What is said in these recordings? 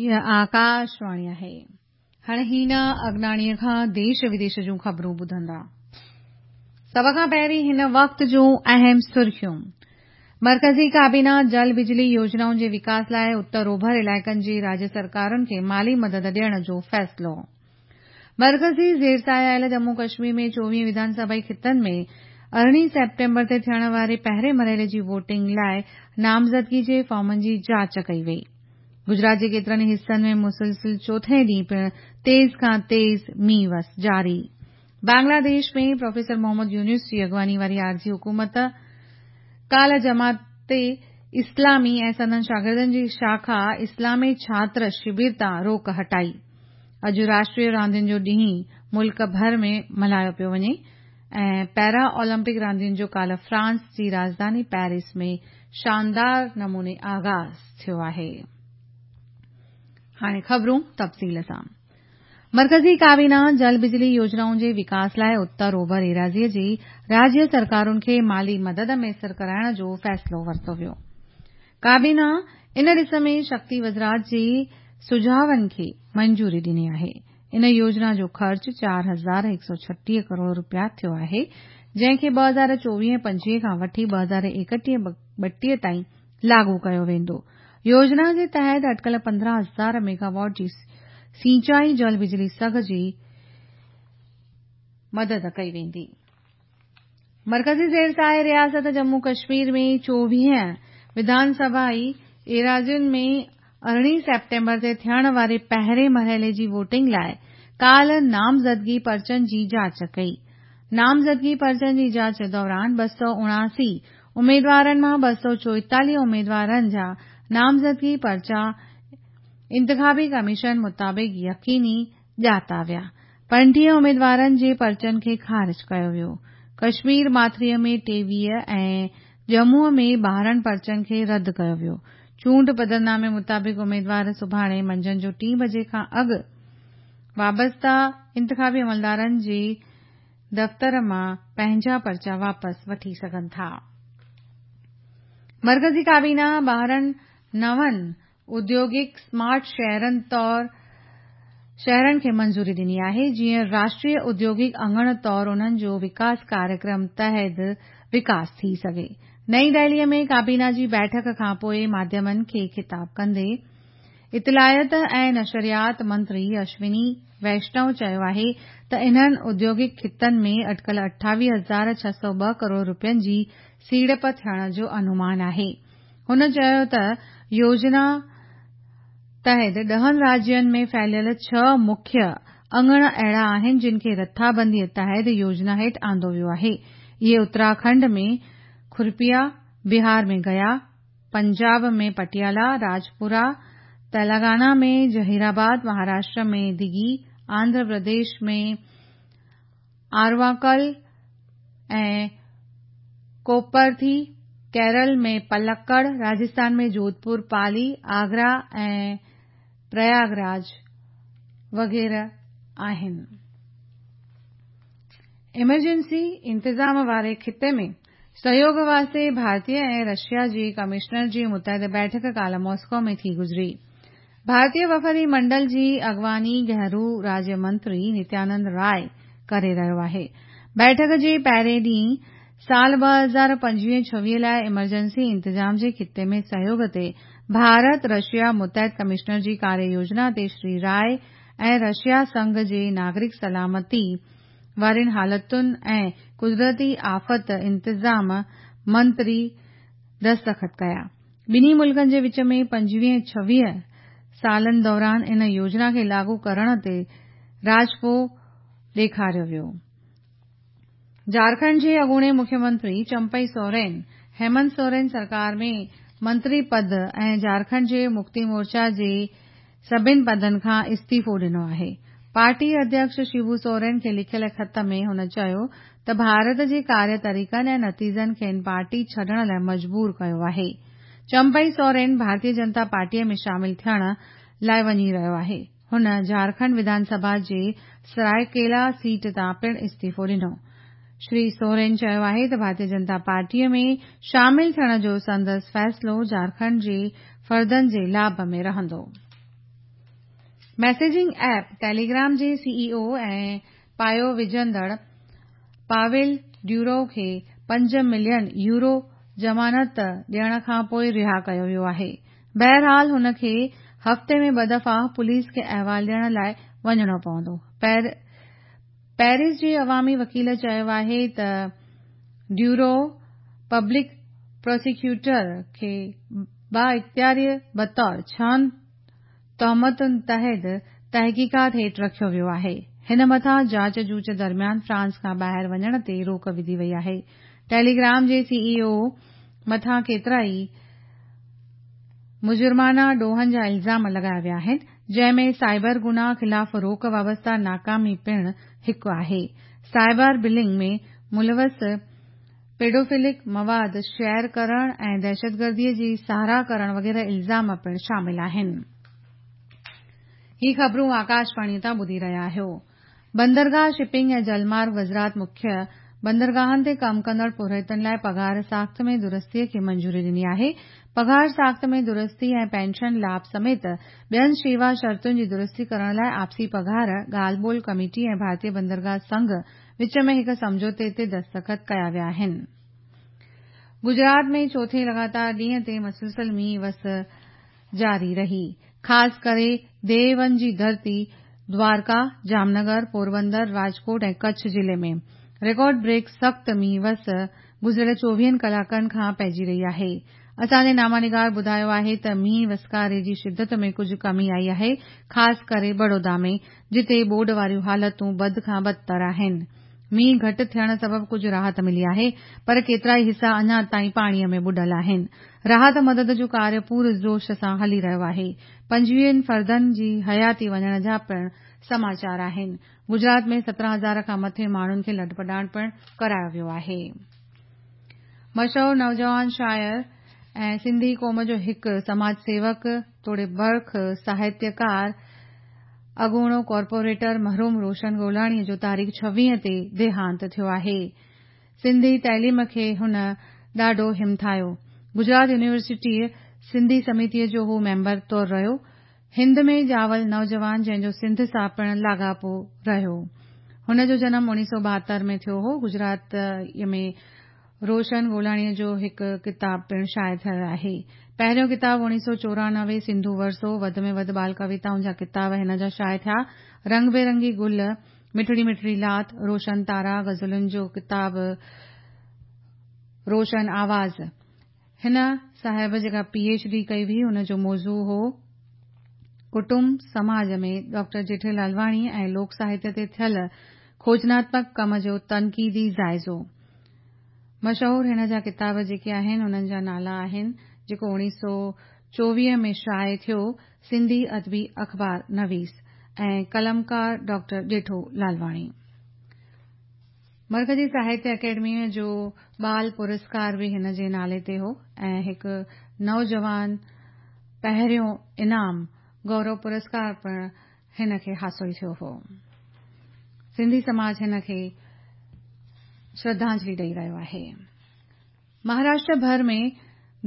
هيء آڪاشواڻي آهي. هاڻي هينا اگناڻيء کان ديش وديش جون خبرون ٻڌندا. سڀ کان پهرين هن وقت جون اهم سرخيون. مرڪزي ڪابينا جل بجلي يوجنائن جي وڪاس لاء اتر اوڀر علائقن جي راجيه سرڪارن کي مالي مدد ڏيڻ جو فيصلو. مرڪزي زير سايه آيل ڄمون ڪشمير ۾ 24 وڌان سڀائي خطن ۾ 18 سيپٽمبر تي ٿيڻ واري پهرين مرحلي جي ووٽنگ لاء نامزدگي جي فارمن جي جاچ ڪئي وئي. گجرات جي ڪيترن ئي حصن ۾ مسلسل چوٿين ڏينهن پڻ تيز کان تيز مينهن وس جاري. بنگلاديش ۾ پروفيسر محمد يونس جي اڳواڻي واري عارضي حڪومت ڪالهه جماعت اسلامي ۽ سندن شاگردن جي شاخا اسلامي ڇاتر شبر تان روڪ هٽائي. اڄ راشٽريه راندين جو ڏينهن ملڪ ڀر ۾ ملهايو پيو وڃي ۽ پيرا اولمپڪ راندين جو ڪالهه فرانس جي راڄڌاني پيرس ۾ شاندار نموني آغاز ٿيو آهي. هاڻي خبرون تفصيل سان. مرڪزي ڪابينا جل بجلي يوجنائن جي وڪاس لاء اتر اوڀر ايراضيء جي راجيه سرڪارن کي مالي مدد ميسر ڪرائڻ جو فيصلو ورتو ويو. ڪابينا ان ڏس ۾ شڪتي وزارت جي سجهاون کي منظوري ڏني آهي. ان يوجنا جو خرچ 4136 ڪروڙ رپيا ٿيو آهي، جنهن کي 2024-25 کان وٺي 2021-32 تائين لاڳو ڪيو ويندو. يوجنا جي تحت اٽڪل 15 هزار ميگاواٽ جي سينچائي جل بجلي سگهه جي مدد ڪئي ويندي. مرڪزي زير سايه رياست ڄمون ڪشمير ۾ 24 وڌان سڀائي ايراضين ۾ 18 سيپٽمبر تي ٿيڻ واري پهرين مرحلي جي ووٽنگ لاء ڪالهه نامزدگي پرچن جي جاچ ڪئي. نامزدگي پرچن جي جاچ دوران 279 اميدوارن مان 244 اميدوارن جا نامزدگي پرچا انتخابي ڪميشن مطابق يقيني ڄاتا ويا. 35 اميدوارن جي پرچن کي خارج ڪيو ويو. ڪشمير ماٿريء ۾ 23 ۽ ڄمونء ۾ 12 پرچن کي رد ڪيو ويو. چونڊ پڌرنامي مطابق اميدوار سڀاڻي منجهند جو 3 بجي کان اڳ وابسته انتخابي عملدارن جي دفتر مان پنهنجا پرچا واپس وٺي سگهن ٿا. مرڪزي ڪابينا 12 نون اوديوگڪ سمارٽ شهرن طور شهرن کي منظوري ڏني آهي، جيئن راشٽريه اوديوگڪ اڱڻ طور انهن جو وڪاس ڪاريڪرم تحت وڪاس ٿي سگهي. نئين دهليء ۾ ڪابينا جي بيٺڪ کان پوء ماڌيمن کي خطاب ڪندي اطلاعات ۽ نشريات منتري اشوني ويشنو چيو آهي ته انهن اوديوگڪ خطن ۾ اٽڪل 28,602 ڪروڙ رپين جي سيڙپ ٿيڻ جو انومان آهي. هن چيو ته يوجنا تحت 10 راجين ۾ ڦهليل 6 مکيه اڱڻ اهڙا آهن جن کي رٿابنديء تحت يوجنا هيٺ آندو ويو آهي. اهي اتراکنڊ ۾ کرپيا، بهار ۾ گيا، پنجاب ۾ پٽيالا، راجپورا، تلنگانا ۾ ظهيرآباد، مهاراشٽر ۾ دگي، آنڌرا پرديش ۾ آرواڪل ۽ ڪوپرٿي، ڪيرل ۾ پلڪڙ، راجسٿان ۾ جوڌپور، پالي، آگرا ۽ پرياگراج وغيره آهن. ايمرجنسي انتظام واري خطي ۾ سهيوڳ واسطي ڀارتي ۽ رشيا جي ڪمشنر جي متحده بيٺڪ ڪالهه ماسڪو ۾ ٿي گذري. ڀارتي وفدي منڊل جي اڳواڻي گهرو راجيه منتري نتيانند راءِ ڪري رهيو آهي. بيٺڪ جي پهرين ڏينهن سال 2025-26 لاء ايمرجنسي انتظام جي خطي ۾ سهيوڳ تي ڀارت رشيا متحد ڪمشنر جي ڪاريه يوجنا تي شري راءِ ۽ رشيا سنگهه جي ناگرڪ سلامتي وارين حالتن ۽ قدرتي آفت انتظام منتري دستخط ڪيا. ٻنهي ملڪن جي وچ ۾ 25-26 سالن دوران ان يوجنا کي لاڳو ڪرڻ تي راضپو ڏيکاريو ويو. جهارکنڊ جي اڳوڻي مکيه منتري چمپئي سورين هيمنت سورين سرڪار ۾ منتري پد ۽ جهارکنڊ جي مڪتي مورچا جي سڀني پدن کان استعيفو ڏنو آهي. پارٽي اڌيڪش شيبو سورين کي لکيل خط ۾ هن چيو ته ڀارت جي ڪاريه طريقن ۽ نتيجن کين پارٽي ڇڏڻ لاء مجبور ڪيو آهي. چمپئي سورين ڀارتيه جنتا پارٽيء ۾ شامل ٿيڻ لاء وڃي رهيو آهي. هن جهارکنڊ وڌان سڀا جي سرائيڪيلا سيٽ تان پڻ استعيفو ڏنو. شري سورين چيو آهي ته ڀارتيه جنتا پارٽيء ۾ شامل ٿيڻ جو سندس فيصلو جهارکنڊ جي فردن جي لاڀ ۾ رهندو. ميسيجنگ ايپ ٽيليگرام جي سي اي او ۽ پايو وجهندڙ پاويل ڊيوروو کي 5 ملين يورو ضمانت ڏيڻ کانپوء رها ڪيو ويو آهي. بهرحال هن کي هفتي ۾ ٻه دفعا پوليس کي احوال ڏيڻ لاء وڃڻو پوندو. پيرس جي عوامي وڪيل چيو آهي ته ڊيوروو پبلڪ پراسيڪيوٽر کي بااختياري بطور ڇهن تهمتن تحت تحقيقات هيٺ رکيو ويو آهي. هن مٿان جاچ جوچ درميان فرانس کان ٻاهر وڃڻ تي روڪ وڌي وئي آهي. ٽيليگرام جي سي اي او مٿان ڪيترائي مجرمانه ڏوهن جا الزام لڳايا ويا آهن، جنهن ۾ سائبر گناهه خلاف روڪ وابسته ناڪامي پڻ هڪ آهي. سائبر بلنگ ۾ ملوث پيڊوفلڪ مواد شيئر ڪرڻ ۽ دهشتگردي جي ساراهه ڪرڻ وغيره الزام پڻ شامل آهن. هي خبرون آڪاشواڻي تان ٻڌي رهيا آهيو. بندرگاهه، شپنگ ۽ جلمارگ وزارت مکيه بندرگاهن تي ڪم ڪندڙ پورهيتن لاء پگهار ساخت ۾ درستي کي منظوري ڏني آهي. پگهار ساخت ۾ درستي ۽ پينشن لاڀ سميت ٻين شيوا شرطن جي درستي ڪرڻ لاء آپسي پگهار ڳالهه ٻولهه ڪميٽي ۽ ڀارتي بندرگاهه سنگهه وچ ۾ هڪ سمجهوتي تي دستخط ڪيا ويا آهن. گجرات ۾ چوٿين لڳاتار ڏينهن تي مسلسل مينهن وس جاري رهي. خاص ڪري ديون جي ڌرتي دوارڪا، جامنگر، پوربندر، راجڪوٽ ۽ ڪڇ ضلعي ۾ رڪارڊ بريڪ سخت مينهن وس گذريل چوويهن ڪلاڪن کان پئجي رهي آهي. اسان جي نامه نگار ٻڌايو آهي ته مينهن وسڪاري جي شدت ۾ ڪجهه ڪمي آئي آهي، خاص ڪري بڙودا ۾، جتي ٻوڏ واريون حالتون بد کان بدتر آهن. مينهن گهٽ ٿيڻ سبب ڪجهه راحت ملي آهي، پر ڪيترائي حصا اڃا تائين پاڻي ۾ ٻڏل آهن. راحت مدد جو ڪاريه پور جوش سان هلي رهيو آهي. 25 فردن جي حياتي وڃڻ جا پڻ سماچار آهن. گجرات ۾ 17 هزار کان مٿي ماڻهن کي لڏپلاڻ پڻ ڪرايو ويو آهي. مشهور نوجوان شاعر ۽ سنڌي قوم جو هڪ سماج سيوڪ توڙي برک ساهتيڪار اڳوڻو ڪارپوريٽر مرحوم روشن گولاڻيء جو تاريخ 26 تي ديهانت ٿيو آهي. سنڌي تعليم کي هن ڏاڍو همٿايو. گجرات يونيورسٽيء سنڌي سميتيء جو هو ميمبر طور رهيو. هند ۾ ڄاول نوجوان جنهن جو سنڌ سان پڻ لاڳاپو رهيو. هن جو جنم 1972 ۾ ٿيو هو. گجراتيء ۾ روشن گولاڻيء جو هڪ ڪتاب پڻ شايع ٿيل آهي. پهريون ڪتاب 1994 سنڌو ورثو، وڌ ۾ وڌ ٻال ڪويتائن جا ڪتاب هن جا شايع ٿيا. رنگ بيرنگي گل، مٺڙي مٺڙي لات، روشن تارا، غزلن جو ڪتاب روشن آواز. هن صاحب جيڪا پي ايڇ ڊي ڪئي هئي ان جو موضوع هو ڪٽنب سماج ۾ ڊاڪٽر جيٺي لالواڻي ۽ لوڪ ساهتيه تي ٿيل کوجناتمڪ ڪم جو تنقيدي جائزو. مشهور هن جا ڪتاب جيڪي آهن انهن جا نالا آهن جيڪو 1924 ۾ شايع ٿيو سنڌي ادبي اخبار نويس ۽ قلمڪار ڊاڪٽر ڄيٺو لالواڻي. مرڪزي ساهتيه اڪيڊميء جو ٻال پرسڪار به هن جي نالي تي هو ۽ هڪ نوجوان پهريون انعام گورو پرسڪار پڻ هن کي حاصل ٿيو هو. سنڌي سماج هن کي شرڌانجلي ڏئي رهيو آهي. مهاراشٽر ڀر ۾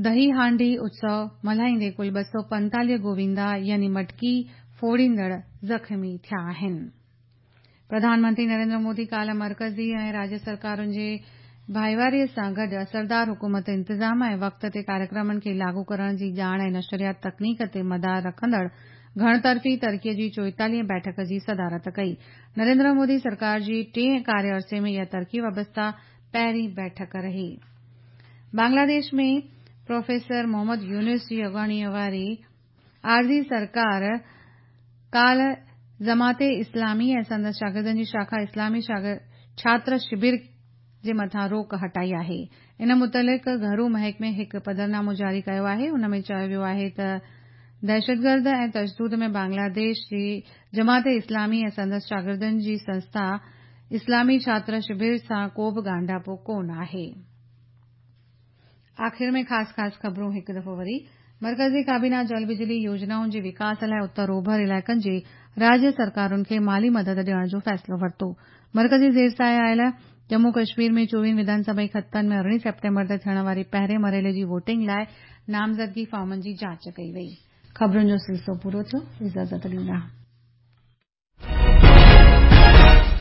دهي هانڊي اتسو ملهائيندي ڪل 245 گووندا يعني مٽڪي ڦوڙيندڙ زخمي ٿيا آهن. پرڌان منتري نريندر مودي ڪالهه مرڪزي ۽ راجيه سرڪارن جي ڀائيواري سان گڏ اثردار حڪومت انتظام ۽ وقت تي ڪاريڪرمن کي لاڳو ڪرڻ جي ڄاڻ ۽ نشريات تڪنيڪ تي مدار رکندڙ گهڻ طرفي ترقي جي چوئيتاليهين بيٺڪ جي صدارت ڪئي. نريندر مودي سرڪار جي ٽئين ڪاريه عرصي ۾ اها ترقي وابسته پهرين بيٺڪ رهي. بنگلاديش ۾ پروفيسر محمد يونس جي اڳواڻي واري عارضي سرڪار ڪالهه جماعت اسلامي ۽ سندس شاگردن جي شاخا اسلامي ڇاتر شبر جي مٿان روڪ هٽائي آهي. ان متعلق گهرو محڪمي هڪ پڌرنامو جاري ڪيو آهي. ان ۾ چيو ويو آهي ته دهشتگرد ۽ تشدد ۾ بنگلاديش جي جماعت اسلامي ۽ سندس شاگردن جي سنسٿا اسلامي ڇاتر شبر سان ڪو به ڳانڍاپو ڪونه آهي. آخر ۾ خاص خاص خبرون هڪ دفعو وري، مرڪزي ڪابينا جل بجلي يوجنائن جي وڪاس لاء اتر اوڀر علائقن جي راجيه سرڪارن کي مالي مدد ڏيڻ جو فيصلو ورتو. مرڪزي زير سايه آيل ڄمون ڪشمير ۾ چوويهن وڌان سڀائي خطن ۾ 18 سيپٽمبر تي ٿيڻ واري پهرين مرحلي جي ووٽنگ لاء نامزدگي فارمن جي جاچ ڪئي وئي. خبرن جو سلسلو پورو ٿيو. اجازت ڏيندا.